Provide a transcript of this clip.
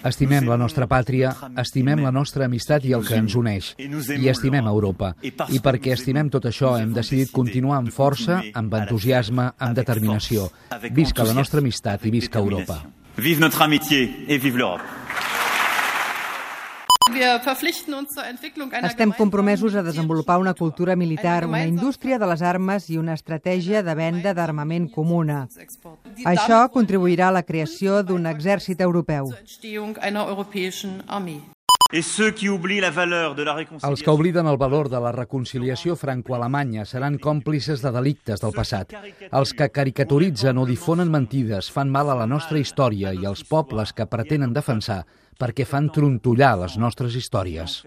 Estimem la nostra pàtria, estimem la nostra amistat i el que ens uneix, i estimem Europa. I perquè estimem tot això hem decidit continuar amb força, amb entusiasme, amb determinació. Visca la nostra amistat i visca Europa. Vive notre amitié et vive l'Europe. Estem compromesos a desenvolupar una cultura militar, una indústria de les armes i una estratègia de venda d'armament comuna. Això contribuirà a la creació d'un exèrcit europeu. Els que obliden el valor de la reconciliació franco-alemanya seran còmplices de delictes del passat. Els que caricaturitzen o difonen mentides fan mal a la nostra història i als pobles que pretenen defensar perquè fan trontollar les nostres històries.